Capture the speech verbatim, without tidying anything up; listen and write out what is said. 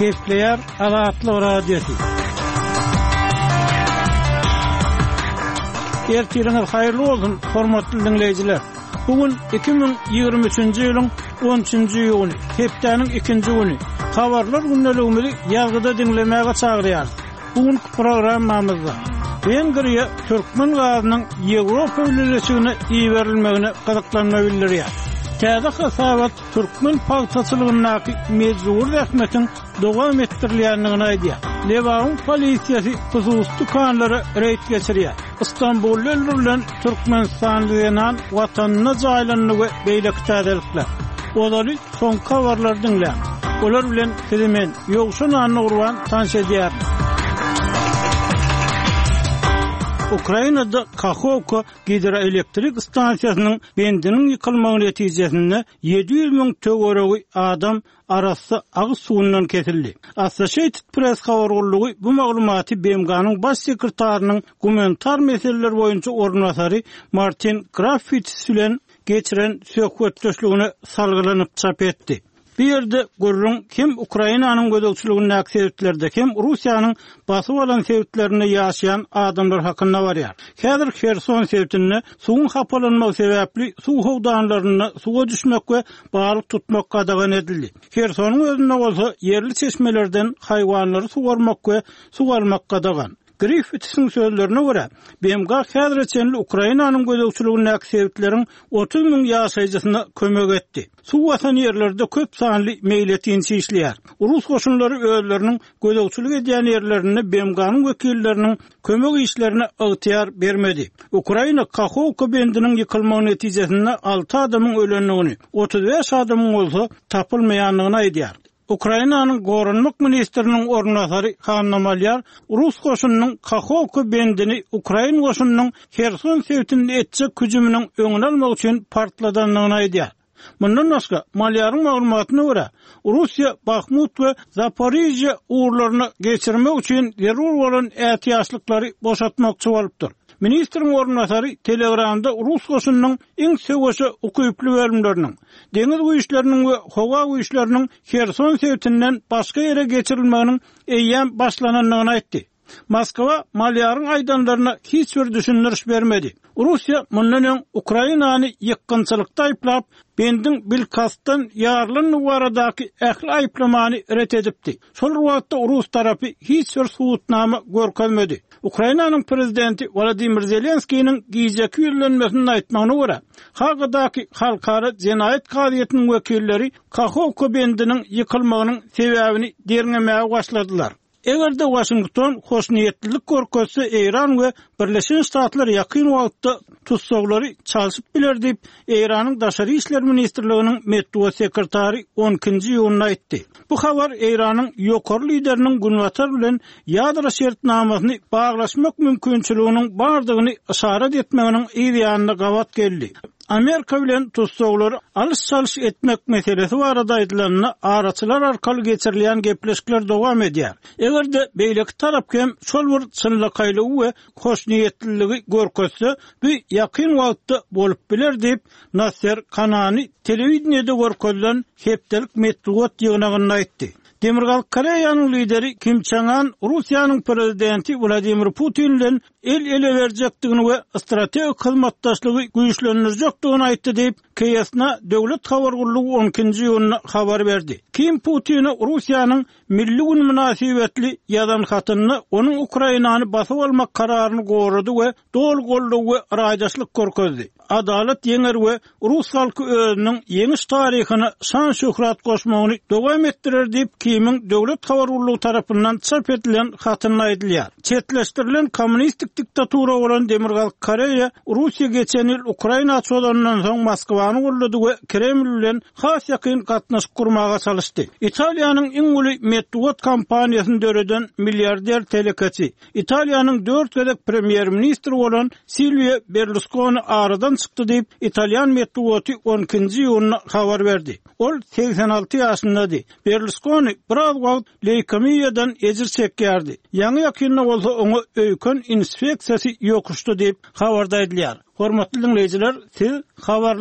Gepleýär Azatlyk Radiosy. Ertiriňiz haýyrly bolsun, hormatly diňleýjiler! Bu gün iki müň ýigrimi üçünji ýylyň on üçünji iýuny, hepdäniň ikinji güni. Habarlar gündeligimizi ýazgyda diňlemäge çagyrýarys. Bu günki programmamyzda Wengriýa türkmen gazynyň Ýewropa Bileleşigine iberilmegine gyzyklanma bildirýär. Täze hasabat türkmen pagtaçylygyndaky mejbury zähmetiň dowam etdirilýändigini aýdýar. Lebabyň polisiýasy hususy dükanlara reýd geçirýär. Stambulda öldürilen türkmenistanly zenan watanynda jaýlandy we beýleki täzelikler. Ozaly soňky habarlary diňläň. Olar bilen sizi men, Ýowşan Annagurban tanyş edýärin. Ukrainada Kahowka gidroelektrik stansiýasynyň bendiniň ýykylmagy netijesinde ýedi ýüz müň töweregi adam arassa agyz suwundan kesildi. Associated Press habar gullugy bu maglumaty B M G-nyň baş sekretarynyň gumanitar meseleler boýunça orunbasary Martin Griffiths bilen geçiren söhbetdeşligine salgylanyp çap etdi. Bu ýerde gürrüň hem Ukrainanyň gözegçiligindäki sebitlerde hem Russiýanyň basyp alan sebitlerinde ýaşaýan adamlar hakynda barýar. Häzir Herson sebitinde suwuň hapalanmagy sebäpli suw howdanlarynda suwa düşmek we balyk tutmak gadagan edildi. Hersonyň özünde bolsa ýerli çeşmelerden haýwanlary suwarmak we suw almak gadagan. Griffithsiň sözlerine görä, B M G häzire çenli Ukrainanyň gözegçiligindäki sebitleriň otuz müň ýaşaýjysyna kömek etdi. Suw basan ýerlerde köp sanly meýletinçi işleýär. Rus goşunlary özleriniň gözegçilik edýän ýerlerinde B M G-nyň wekilleriniň kömek işlerine ygtyýar bermedi. Ukraina Kahowka bendiniň ýykylmagy netijesinde alty adamyň ölendigini, otuz bäş adamyň bolsa tapylmaýandygyny aýdýar. Ukrainanyň Goranmak ministriniň orunbasary Hanna Malýar Rus goşunynyň Kahowka bendini Ukrain goşunynyň Herson sebitinde etjek hüjüminiň öňüni almak üçin partladandygyny aýdýar. Mundan başga, Malýaryň maglumatyna görä, Russiýa Bahmut we Zaporijýa ugurlaryna geçirmek üçin zerur bolan ätiýaçlyklary boşatmakçy bolupdyr. Ministriň orunbasary Telegramda Rus goşunynyň iň söweşe ukyply bölümleriniň, deňiz güýçleriniň we howa güýçleriniň Herson sebitinden başga ýere geçirilmeginiň eýýäm başlanandygyny aýtdy. Moskwa Malýaryň aýdanlaryna hiç bir düşündiriş bermedi. Russiýa mundan öň Ukrainany ýykgynçylykda aýyplap, bendiň bilkastdan ýarylandygy baradaky ähli aýyplamany ret edipdi. Şol wagtda Rus tarapy hiç bir subutnama görkezmedi. Ukrainanyň prezidenti Wladimir Zelenskiniň gijeki ýüzlenmesini aýtmagyna görä, Hagadaky Halkara Jenaýat kazyýetiniň wekilleri Kahowka bendiniň ýykylmagynyň sebäbini derňemäge başladylar. Eger-de Washington hoşniýetlilik görkezse, Eýran we Birleşen Ştatlar ýakyn wagtda tutsaglary çalşyp biler diýip, Eýranyň Daşary işler ministrliginiň metbugat sekretary on ikinji iýunda aýtdy. Bu habar Eýranyň ýokary lideriniň Günbatar bilen ýadro şertnamasyny baglaşmak mümkinçiliginiň bardygyny yşarat etmeginiň yz ýanyna gabat geldi. Amerika bilen tutsaglary alyş-çalyş etmek meselesi barada aýdylanda araçylar arkaly geçirilýän gepleşikler dowam edýär. Eger-de beýleki tarap hem şol bir çynlakaýlygy we hoşniýetliligi görkezse, bu ýakyn wagtda bolup biler diýip, Nasser Kanani telewideniýede görkezilen hepdelik metbugat ýygnagynda aýtdy. Demirgazyk Koreýanyň lideri Kim Çen An Russiýanyň prezidenti Wladimir Putin bilen el ele berjekdigini we strategik hyzmatdaşlygy güýçlendirjekdigini aýtdy diýip, K S N A döwlet habar gullugy on ikinji iýunda habar berdi. Kim Putine Russiýanyň milli gün mynasybetli ýazan hatynda onuň Ukrainany basyp almak kararyny gorady we doly goldaw we raýdaşlyk görkezdi. Adalat ýeňer we Rus halky özüniň ýeňiş taryhyna şan şöhrat goşmagyny dowam etdirer diýip, Kimiň döwlet habar gullugy tarapyndan çap edilen hatynda aýdylýar. Çetleşdirilen kommunistik diktatura bolan Demirgazyk Koreýa Russiýa geçen ýyl Ukraina çozandan soň Moskwany goldady we Kreml bilen has ýakyn gatnaşyk gurmaga çalyşdy. Italiýanyň iň uly metbugat kompaniýasyny döreden milliarder telekeçi, Italiýanyň dört gezek premýer-ministri bolan Silvio Berlusconi aradan çykdy diýip, İtalyan metbugaty on ikinji iýunda habar berdi. Ol seksen alty ýaşyndady. Berlusconi biraz wagt leýkemiýadan ejir çekýärdi. Ýaňy ýakynda bolsa oňa öýken inspeksiýasy ýokuşdy diýip habarda aýdylýar. Hormatly dinleýjiler, siz habarlar